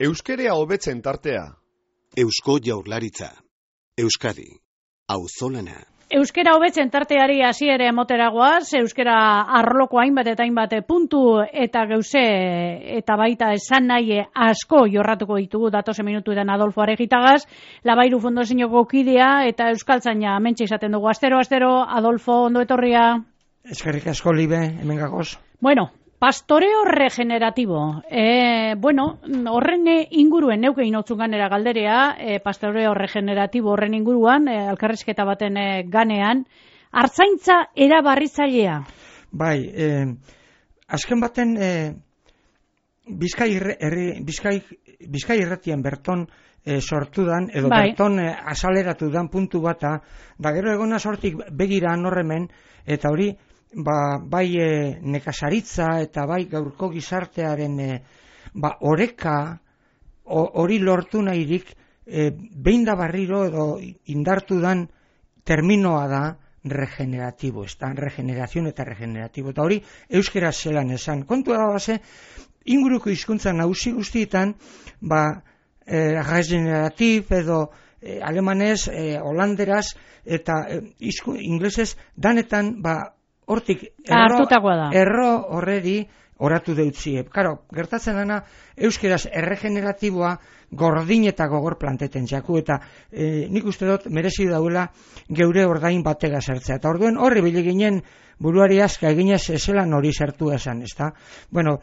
Euskerea hobetzen tartea. Eusko Jaurlaritza. Euskadi. Auzolana. Euskera hobetzen tarteari hasiera emoteragoaz, euskera arloko hainbat eta hainbat puntu eta gauze eta baita esan nahi asko jorratuko ditugu datozen minutuetan Adolfo Aregitagaz, Labairu Fondozinoko kidea eta euskaltzaina hementxe izaten dugu. Astero, Adolfo, ondo etorria. Eskerrik asko, Libe, hemen gagoz. Bueno, pastoreo regenerativo. Horren inguruen neuke inotzun ganera galderea, pastoreo regenerativo horren inguruan, elkarrizketa baten ganean, artzaintza erabarritzailea. Bai, azken baten Bizkai irratian berton sortu dan, edo bai. Berton azaleratu dan puntu bata, da gero egona sortik begira norremen, eta hori, bai nekazaritza eta bai gaurko gizartearen oreka hori lortu nahirik behin da barriro edo indartu dan terminoa da regeneratibo, regenerazion eta regeneratibo, eta hori euskera zelan esan. Kontua da base, inguruko hizkuntza nagusi guztietan, regeneratif edo alemanez, holanderaz eta inglesez danetan hortik erro horreri oratu deutzie. Karo, gertatzen dana, euskeraz erregeneratiboa gordin eta gogor planteten jaku, eta nik uste dut merezi dauela geure ordain batega zertzea. Eta orduen horri bile ginen buruari aska eginez ezelan hori zertu esan, ezta? Bueno,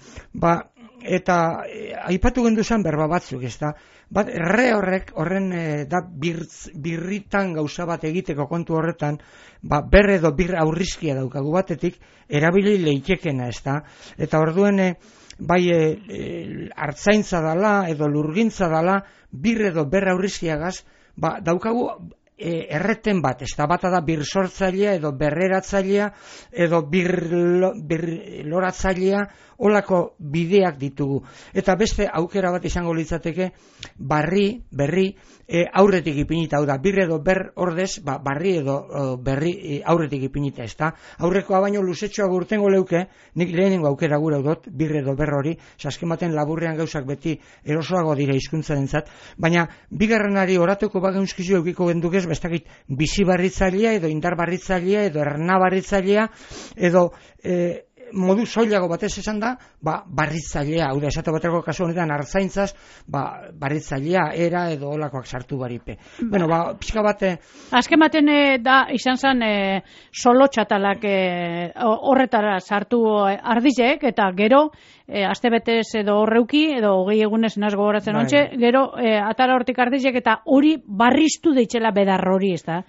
eta aipatu gendu zen berba batzuk, ezta? Horren da birritan gauza bat egiteko kontu horretan, ber edo bir aurrizkia daukagu batetik, erabili leitekena, ezta? Eta orduen hartzaintza dala edo lurgintza dala, bir edo ber aurrizkiagaz, daukagu erreten bat, ez da bata da bir sortzailea edo berreratzailea edo bir loratzailea, olako bideak ditugu. Eta beste aukera bat izango litzateke berri aurretik ipinita, hau da, bir edo ber ordez, barri edo berri aurretik ipinita, ez da. Aurrekoa baino luzetxoa gurtengo leuke, nik lehenengo aukera gure dut, bir edo ber hori, saskematen laburrean gauzak beti erosoago dira hizkuntzarentzat, baina bigarrenari oratuko bageunskizio eukiko gendukez, bestakit bizi barritzailea edo indar barritzailea edo erna barritzailea edo modu soilago batez esan da, barritzailea, hau da, esate bateko kasu honetan artzaintzaz, barritzailea, era edo olakoak sartu baripe. Bueno, pixka bate... Azken baten da, izan zen solo txatalak horretara sartu ardizek, eta gero, astebetez edo horreuki, edo 20 egunez nazgo goratzen ontxe, gero atara hortik ardizek, eta hori barriztu deitxela bedar hori, ez da?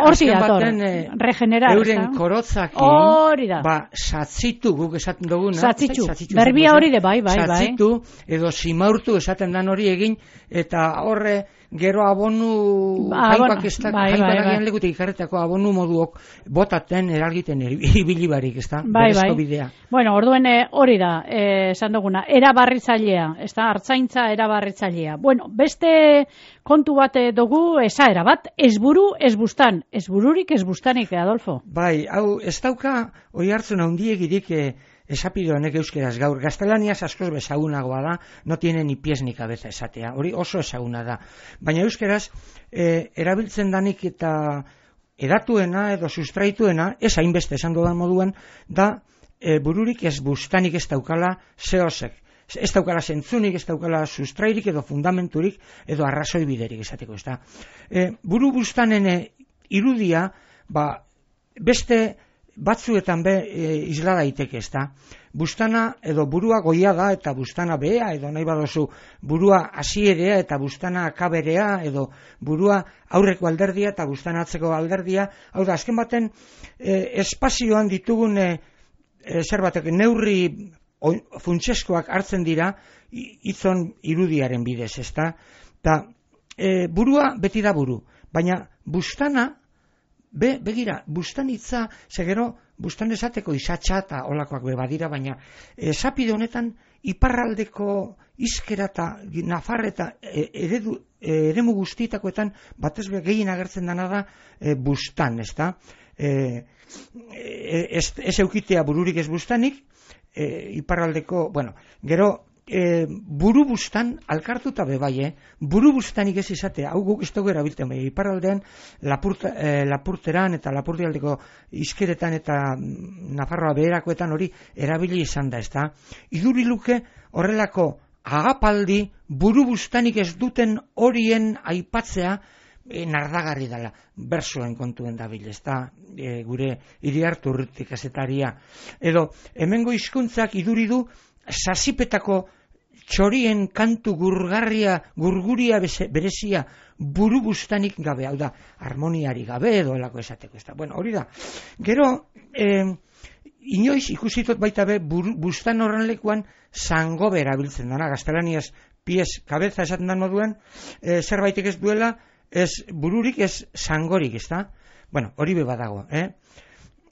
Azken baten regenerar, euren korotzakin, satzitu, guk esaten duguna. Satzitu, berbia hori de, bai. Satzitu, edo simaurtu esaten dan hori egin, eta horre gero abonu jaipak agian lekutik ikarretako abonu moduok botaten eralgiten ibilibarik, ez da? Berezko bidea. Bueno, orduen hori da, esan duguna, erabarritzailea, ez da, hartzaintza erabarritzailea. Bueno, beste kontu bat dugu, esaera bat, ez buru, ez bustan. Ez bururik, ez bustanik, Adolfo. Bai, hau, ez dauka, hori hartzen handiegirik esapide honek euskeraz gaur. Gaztelaniaz askoz bezagunagoa da, no tiene ni pies ni cabeza esatea. Hori oso ezaguna da. Baina euskeraz, erabiltzen danik eta edatuena edo sustraituena, ez hainbeste esan dudan moduan, da bururik ez bustanik ez daukala zehosek. Ez daukala zentzunik, ez daukala sustrairik edo fundamenturik edo arrazoi biderik esateko, ez da. Buru bustanen irudia, beste batzuetan isla daiteke, ez da. Bustana edo burua goia da eta bustana behea, edo nahi badozu burua hasierea eta bustana akaberea, edo burua aurreko alderdia eta bustana atzeko alderdia. Hau da, azken baten espazioan ditugun zerbatek neurri funtseskoak hartzen dira hitzon irudiaren bidez, ez da. Burua beti da buru, baina bustana begira, bustanitza, segero, bustan esateko izatxa eta olakoak badira, baina esapide honetan iparraldeko izkera eta nafar eta eremu guztietakoetan batez gehien agertzen dena da bustan, ez da? Ez eukitea bururik ez bustanik, iparraldeko, bueno, gero buru bustan alkartuta bebai, buru bustanik ez izatea, hau guk ez dugu erabiltzen bai, iparraldean Lapurteran eta Lapurdialdeko izkeretan eta Nafarroa beherakoetan hori erabili izan da, ezta? Iduriluke horrelako agapaldi buru bustanik ez duten horien aipatzea nardagarri dela, bersoen kontuen dabil, ezta? Gure Iriarte Urruti kazetaria. Edo, hemengo hizkuntzak iduri du sasipetako txorien kantu gurguria berezia buru bustanik gabe, hau da, harmoniari gabe edo elako esateko, ezta. Bueno, hori da. Gero, inoiz ikusitot baita be, bustan horren lekuan zangobe erabiltzen dana, gaztelaniaz pies, kabeza esaten da moduan, zerbaitek ez duela, ez bururik, ez zangorik, ezta. Bueno, hori be badago,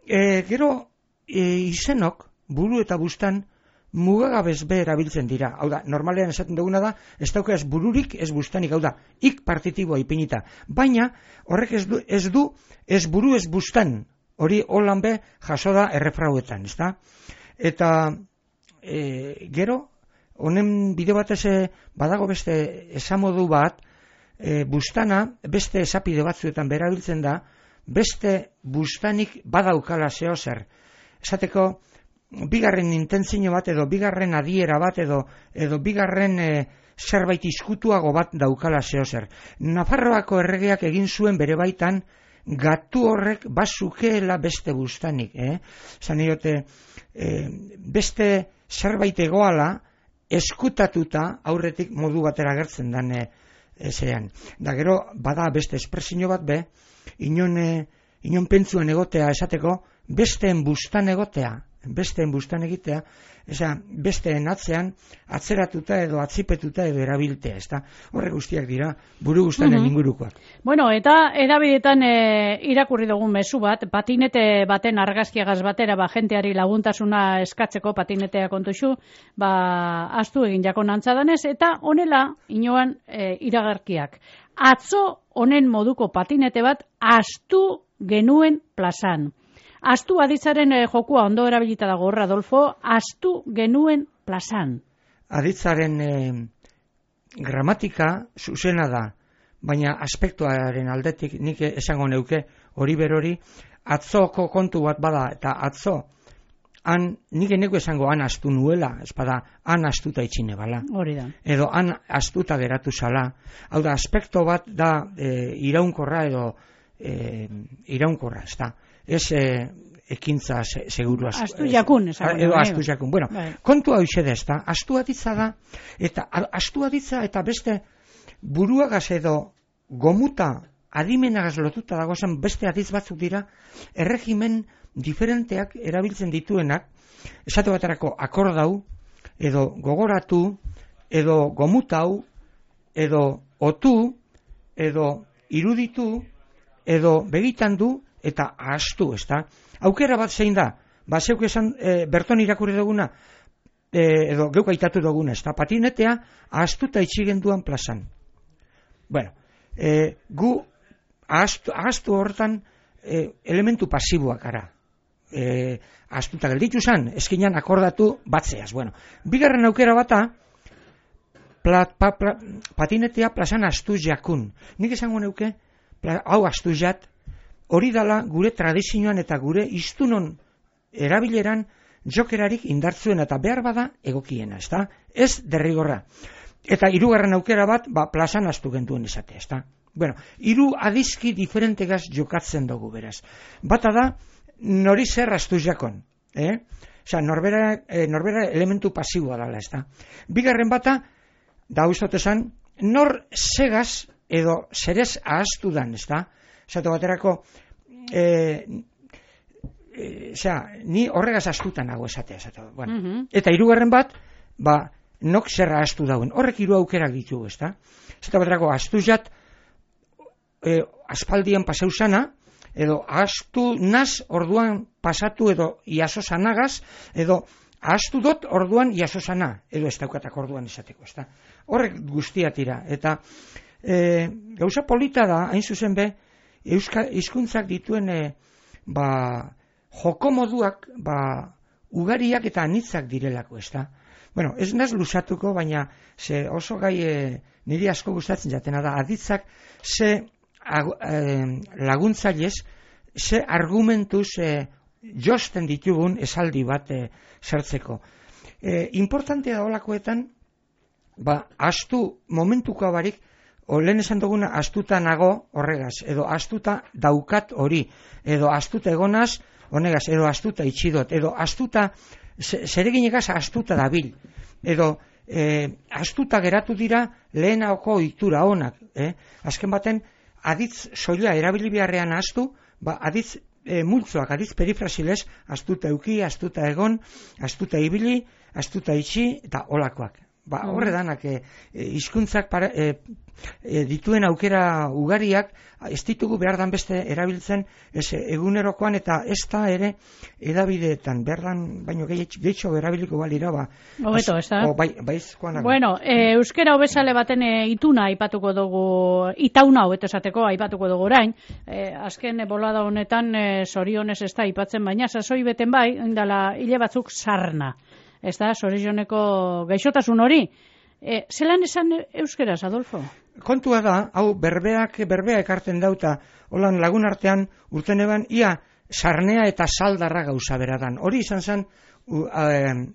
Gero, izenok, buru eta bustan, mugagabez be erabiltzen dira. Hau da, normalean esaten duguna da, ez dauka ez bururik, ez bustanik, hau da, ik partitiboa ipinita. Baina, horrek ez du, ez buru ez bustan, hori holan be jaso da errefrauetan, ezta? Eta, gero, honen bide batez badago beste esamodu bat, bustana, beste esapide batzuetan berabiltzen da, beste bustanik badaukala zeo zer. Esateko, bigarren intentzio bat edo bigarren adiera bat edo bigarren zerbait izkutuago bat daukala zeo zer. Nafarroako erregeak egin zuen bere baitan gatu horrek bazukeela beste bustanik. Zan diote, beste zerbait egoala eskutatuta aurretik modu batera gertzen dan zean. Da gero, bada beste espresio bat be, inon pentsuan egotea esateko, besteen bustan egotea, besteen bustan egitea, besteen atzean atzeratuta edo atzipetuta edo erabiltea, ezta? Horre guztiak dira buru bustanen ingurukoak. Bueno, eta edabidetan irakurri dugun mezu bat, patinete baten argazkiagaz batera jenteari laguntasuna eskatzeko patinetea kontuxu, astu egin jakon antzadanez, eta honela inoan iragarkiak. Atzo honen moduko patinete bat astu genuen plazan. Astu aditzaren jokua ondo erabilita dago, Adolfo, astu genuen plazan. Aditzaren gramatika zuzena da, baina aspektuaren aldetik nik esango neuke hori berori, atzoko kontu bat bada, eta atzo, nik eneko esango han astu nuela, espada, han astuta itxine bala. Hori da. Edo han astuta geratu zala. Hau da, aspekto bat da iraunkorra edo iraunkorra, ez da. Ez ekintza seguru astu jakun, edo astu jakun. Bueno, kontu hau ise da, ez da, astu aditza da, eta astu aditza eta beste buruagaz edo gomuta adimenagaz lotuta dagozen beste aditz batzuk dira, erregimen diferenteak erabiltzen dituenak, esate baterako akordau, edo gogoratu, edo gomutau, edo otu, edo iruditu, edo begitan du, eta astu, ezta? Aukera bat zein da, zeuk esan berton irakurri duguna, edo geuk aitatu duguna, ezta? Patinetea astuta itxigen duan plazan. Bueno, gu astu hortan elementu pasiboak gara. Astuta gelditu zan, eskinan akordatu batzeaz. Bueno, bigarren aukera bata, patinetea plazan astu jakun. Nik esango neuke, hau astu jat, hori dala gure tradizioan eta gure iztunon erabileran jokerarik indartzuen eta behar bada egokiena, ezta? Ez derrigorra. Eta hirugarren aukera bat, plazan astu gentuen izatea, ezta? Bueno, hiru adizki diferentegaz jokatzen dugu beraz. Bata da, nori zer astu jakon, norbera elementu pasiboa dala, ezta? Bigarren bata, da uztot esan, nor segaz edo zerez ahaztu dan, ezta? Zato baterako, ni horregaz astutan nago esatea. Bueno. Eta hirugarren bat, nok zerra astu dauen. Horrek hiru aukerak ditugu, ezta? Zato baterako, astu jat, aspaldian pasau zana, edo astu naz orduan pasatu edo iaso zanagaz, edo astu dot orduan iaso zana, edo ez daukatak orduan esateko, ezta? Horrek guztia tira. Eta gauza polita da, hain zuzen be, hizkuntzak dituen jokomoduak ugariak eta anitzak direlako, ezta? Bueno, ez naz lusatuko, baina ze oso gai niri asko gustatzen jatena da, aditzak ze laguntzailez, ze argumentuz josten ditugun esaldi bat sartzeko. Importantea da olakoetan, astu momentuko barik, lehen esan duguna astuta nago horregaz, edo astuta daukat hori, edo astuta egonaz honegaz, edo astuta itxidot, edo astuta zereginegaz astuta dabil, edo astuta geratu dira lehenako ohitura onak. Azken baten, aditz soila erabili beharrean astu, aditz multzoak, aditz perifrasilez, astuta euki, astuta egon, astuta ibili, astuta itxi, eta olakoak. Horre danak, hizkuntzak dituen aukera ugariak, ez ditugu behar dan beste erabiltzen egunerokoan, eta ez da ere edabideetan, behar dan baino gehitxo erabiliko balira, hobeto, ez da? Baizkoan. Bueno, euskera hobesale baten ituna aipatuko dugu, itauna hobeto esateko aipatuko dugu orain, azken bolada honetan zorionez ez da aipatzen, baina sasoi beten bai, indala hile batzuk sarna. Ez da, zorioneko gaixotasun hori. Zelan esan euskeraz, Adolfo? Kontua da, hau berbea ekarten dauta, holan lagun artean urten eban, ia sarnea eta saldarra gauza beradan. Hori izan zen,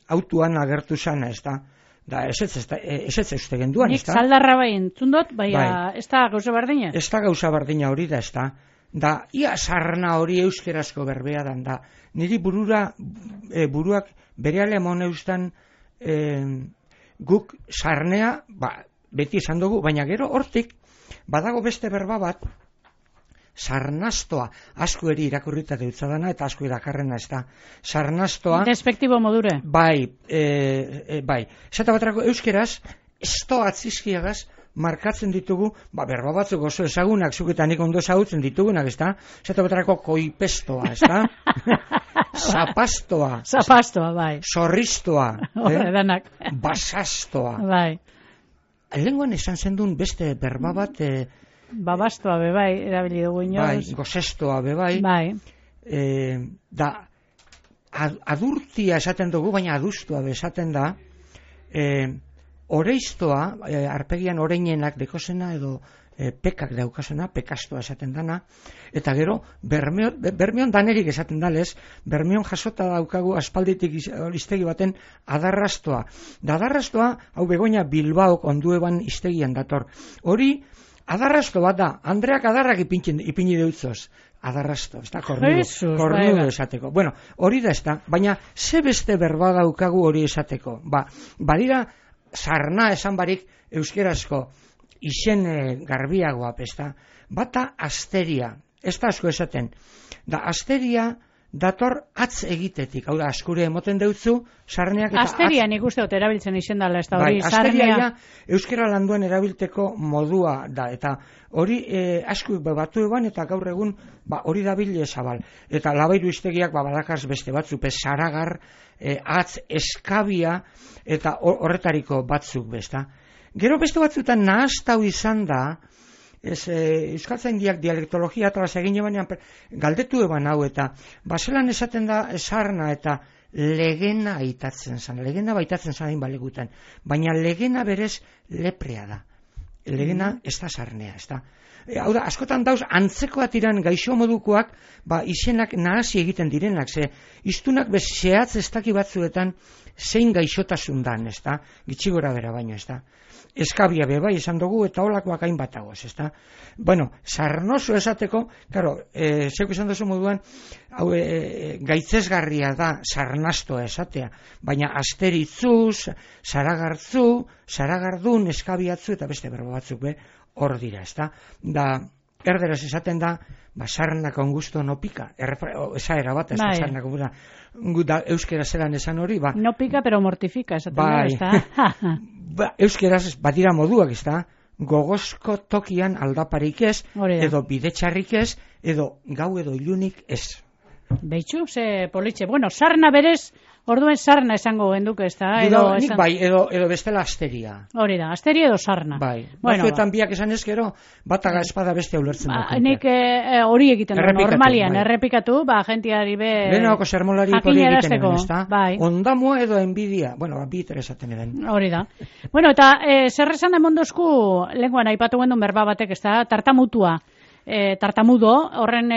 autuan agertu zana, ez da. Da, ez uste genduan, ez da. Nik saldarra bai entzundot, ez da gauza bardina? Ez da gauza bardina hori da, ez da. Da, ia sarna hori euskerazko berbea dan da. Niri buruak bereale amon eustan guk sarnea, beti esan dugu, baina gero hortik, badago beste berba bat, sarnastoa, asko eri irakurrita deutzadana, eta asko irakarrena ez da. Sarnastoa... Despektibo modure. Bai. Zata batrako euskeraz, esto atzizkiagaz, markatzen ditugu, berba batzuk oso ezagunak, zuketan nik ondo ezagutzen ditugunak, ez da? Zata batrako koipestoa, ez da? Zapastoa. Zapastoa, bai. Zorristoa. Danak. Basastoa. Bai. Lenguan esan zendun beste berba bat... Babastoa bebai, erabili dugu inoz. Bai, gozestoa bebai. Bai. Da, adurtia esaten dugu, baina adustua esaten da, oreiztoa, arpegian oreinenak dekozena edo pekak daukasena, pekastoa esaten dana, eta gero, bermeon danerik esaten dalez, bermeon jasota daukagu aspalditik iztegi baten adarrastoa. Da adarrastoa, hau Begoña Bilbaok ondueban iztegian dator. Hori, adarrasto bat da, Andreak adarrak ipini deutzoz. Adarrasto, ez da, kornudo esateko. Bueno, hori da ez da, baina ze beste berba daukagu hori esateko. Badira, sarna esan barik euskerazko izen garbiagoa, ez da. Bata asteria, ez da asko esaten. Da, asteria dator atz egitetik, hau da, askure emoten deutzu, sarneak eta asteria nik uste dut erabiltzen izen dala, ez da hori, sarnea. Euskera landuan erabilteko modua da, eta hori asko batu eban, eta gaur egun hori dabile zabal. Eta labairu iztegiak badakaz beste batzuk, saragar, atz, eskabia, eta horretariko batzuk besta. Gero beste batzutan nahaztau izan da, euskaltzaindiak dialektologia atlas egin ebanean galdetu eban hau, eta baselan esaten da sarna eta legena aitatzen zan, legena baitatzen zan balegutan, baina legena berez leprea da, legena ez da sarnea, ez da. Hau da, askotan dauz, antzekoat iran gaixo modukoak, izenak nahasi egiten direnak, ze iztunak zehatz ez daki batzuetan zein gaixotasun dan, ez da, gitxigora bera baino, ez da. Eskabia bebai esan dugu eta holakoak hainbat agoz, ez da. Bueno, sarnoso esateko, karo, zeuk esan duzu moduan, hau gaitzesgarria da sarnastoa esatea, baina asteritzuz, saragartzu, saragardun, eskabiatzu eta beste berba batzuk hor dira, ez da. Da, erderaz esaten da, sarnak ongusto no pika, esaera bat, ez da, sarnak ongusto, euskera zelan esan hori, no pika, pero mortifika, esaten da, ez da. Euskeraz badira moduak, ez da, gogozko tokian aldaparik ez, edo bidetxarrik ez, edo gau edo ilunik ez. Beitxu, ze politxe. Bueno, sarna berez, Orduen sarna esango genduke, ez da? Nik bai, edo bestela asteria. Hori da, asteria edo sarna. Bai, batzuetan biak esan ezkero, bataga espada beste ulertzen dut. Nik hori egiten du, normalian, errepikatu, jentiari lehenako sermolari hori egiten edo, ez da? Bai. Ondamua edo enbidia, bi interesaten edan. Hori da. Bueno, eta zer esan emondozku, lenguan aipatu gendun berba batek, ez da, tartamutua. Tartamudo, horren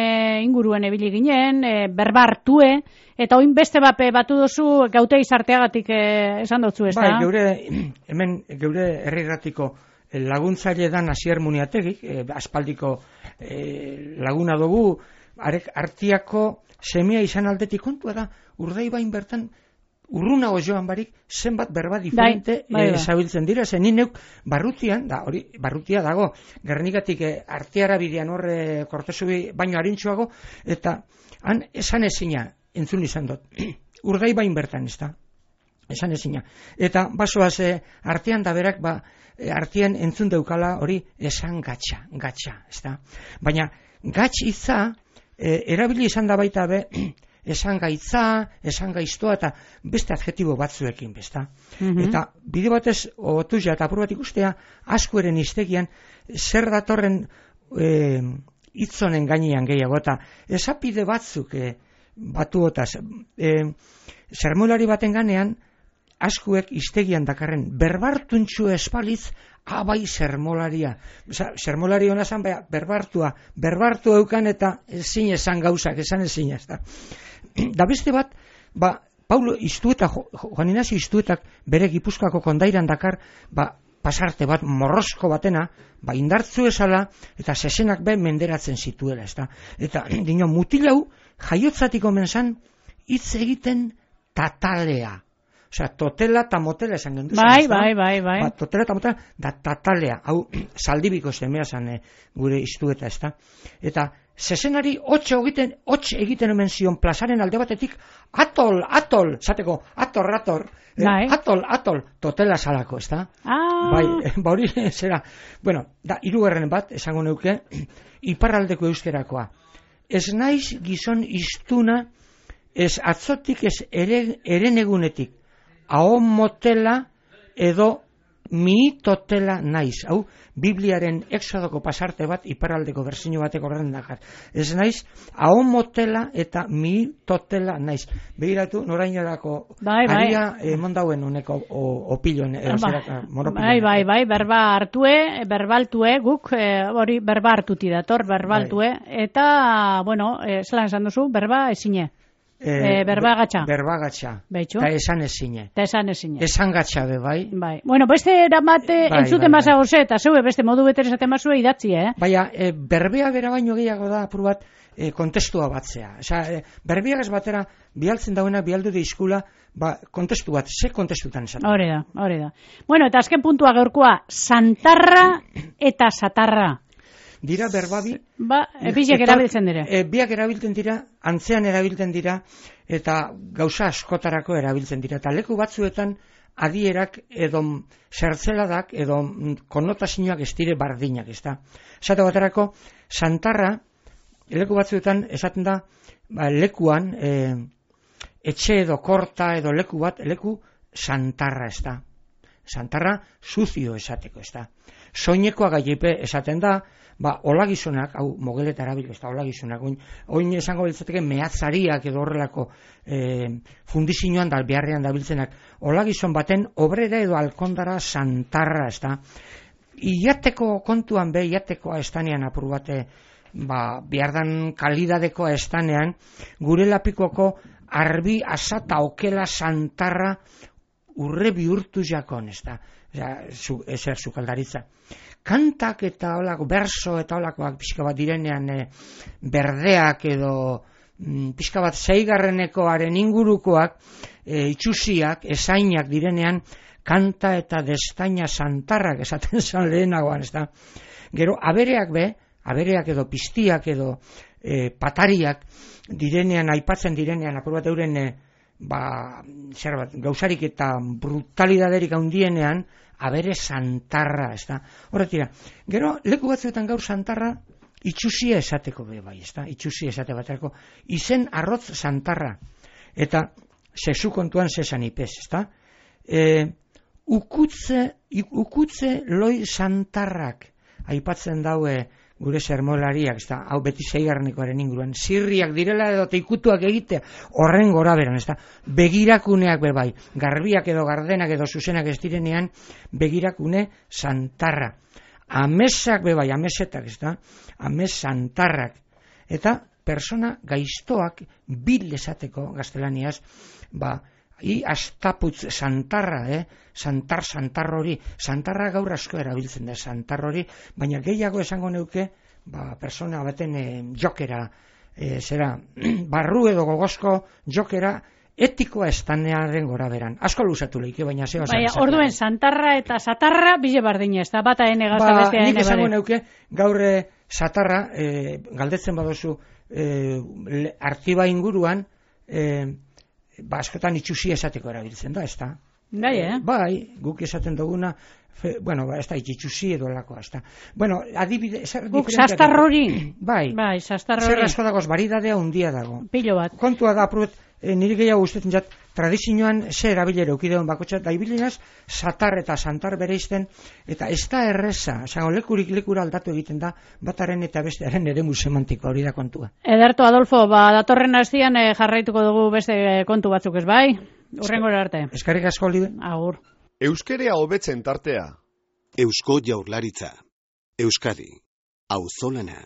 inguruen ebili ginen, berba hartue, eta oin beste bape batu dozu gaute izarteagatik esan dutzu, ez da? Bai, geure herrirratiko laguntzaile dan Asier Muniategik, aspaldiko laguna dugu, artiako semia izan aldetik kontua da, Urdaibain bertan, urrunago joan barik, zenbat berba diferente zabiltzen dira, zen neuk barrutian, barrutia dago, Gernikatik arteara bidean horre Kortezubi baino harintxuago, eta han esan ezina, entzun izan dut, Urdaibain bertan, ez da, esan ezina. Eta basoaz artean da berak, artean entzun deukala hori esan gatxa, ez da. Baina gatx hitza erabili izan da baita be, esan gaitza, esan gaiztoa eta beste adjetibo batzuekin, besta. Eta bide batez, otuzia eta apur bat ikustea, askueren iztegian, zer datorren hitzonen gainean gehiago, eta esapide batzuk batuotaz, sermolari baten ganean, askuek iztegian dakarren, berbartuntxu espalitz, abai sermolaria. Sermolari hona zan, berbartu eukan eta ezin esan gauzak, esan ezin ez da. Da beste bat, Paulo Iztueta, Juan Ignacio Iztuetak bere Gipuzkoako kondairan dakar, pasarte bat, morrosko batena, indartzu esala, eta sesenak menderatzen zituela, ez da. Eta dino, mutilau, jaiotzatik omen zan, hitz egiten tatalea. Osea, totela eta motela esan gendu. Bai. Totela eta motela, da tatalea. Hau, Zaldibiko semea zan gure Iztueta, ez da. Eta, zezenari hotx egiten omen zion plazaren alde batetik, atol, zateko, ator, atol, totela salako, ez da. Bai, hori zera. Bueno, hirugarren bat, esango neuke, iparraldeko euskerakoa. Ez naiz gizon iztuna, ez atzotik, ez erenegunetik, ahon motela edo miitotela naiz. Hau, Bibliaren Exodoko pasarte bat, iparraldeko berzino batek horren dakar. Ez naiz, ahon motela eta miitotela naiz. Begiratu, norainarako aria mondauen honeko opiluen. Bai, berba hartue, berbaltue, guk hori berba hartuti dator, berbaltue, eta, bueno, zelan esan duzu, berba ezine. Berba gatxa. Eta esan ezine. Esan gatxa be, bai. Bueno, beste eramate entzute mazagoze, eta zeue beste modu beter esate mazue idatzi, Baina, berbea bera baino gehiago da, apur bat, kontestua batzea. Berbeagaz batera, bialtzen dauena, bialdu deizkula, kontestu bat, ze kontestutan esaten. Hore da. Bueno, eta azken puntua gaurkoa, santarra eta satarra. Dira berbabi. Biak erabiltzen dira. Biak erabiltzen dira, antzean erabiltzen dira, eta gauza askotarako erabiltzen dira. Eta leku batzuetan adierak edo zertzeladak edo konotazioak ez dire bardinak, ez da. Esate baterako, santarra, leku batzuetan esaten da, lekuan, etxe edo korta edo leku santarra, ez da. Santarra suzio esateko, ez da. Soinekoa gaipe esaten da, olagizunak, hau mogeleta erabil, ez da, olagizunak, oin esango biltzateke mehatzariak edo horrelako fundizioan da, beharrean da biltzenak, olagizun baten obrera edo alkondara santarra, ez da. Iateko kontuan iatekoa estanean apur bate, bihardan kalidadekoa estanean, gure lapikoko arbi asata okela santarra urre bihurtu jakon, ez da. Ezer sukaldaritza. Kantak eta olako, berso eta olakoak pixka bat direnean berdeak edo pixka bat zeigarrenekoaren ingurukoak, itxusiak, esainak direnean, kanta eta destaina santarrak esaten zan lehenagoan, ez da. Gero, abereak edo piztiak edo patariak direnean, aipatzen direnean, apur bat euren gauzarik eta brutalidaderik handienean, abere santarra, ez da. Horretira, gero, leku batzuetan gaur santarra, itxusia esateko bai, ez da. Itxusia esate baterako, izen arrotz santarra. Eta sexu kontuan zesan ipez, ezta? Ukutze loi santarrak aipatzen daue gure sermolariak, ezta? Hau beti 6. inguruan, sirriak direla edo ikutuak egitea, horren gora beran, ezta? Begirakuneak bebai, garbiak edo gardenak edo zuzenak ez direnean, begirakune santarra. Amesak bebai, amesetak, ezta? Ames santarrak. Eta persona gaiztoak bil esateko gaztelaniaz, astaputz santarra, santar hori, santarra gaur asko erabiltzen da, santar hori, baina gehiago esango neuke, persona baten jokera, barru edo gogozko jokera, etikoa estanearen gora beran. Asko luzatu leike, baina zeo esan. Baina, orduen, santarra eta satarra bile bardina, ez da, bata ene gazta bestea ene nik esango neuke, gaur satarra, galdetzen badozu, artiba inguruan, askotan itxusi esateko erabiltzen da, ez da? Bai, guk esaten duguna, ez da itxusi edo lakoa, ez da. Adibide, guk sastarrori. Bai, sastarrori. Zer asko dagoz, baridadea hundia dago. Pilo bat. Kontua da, nire gehiago gustetzen jat, tradizioan zer abilera eukideon bakotxat, da ibilinaz, satar eta santar bereizten, eta ez da erreza, lekurik lekura aldatu egiten da, bataren eta bestearen eremu semantikoa, hori da kontua. Ederto, Adolfo, datorren astian jarraituko dugu beste kontu batzuk, ez bai? Urrengora arte. Eskerrik asko, Olibe. Agur. Euskerea hobetzen tartea. Eusko Jaurlaritza. Euskadi. Auzolana.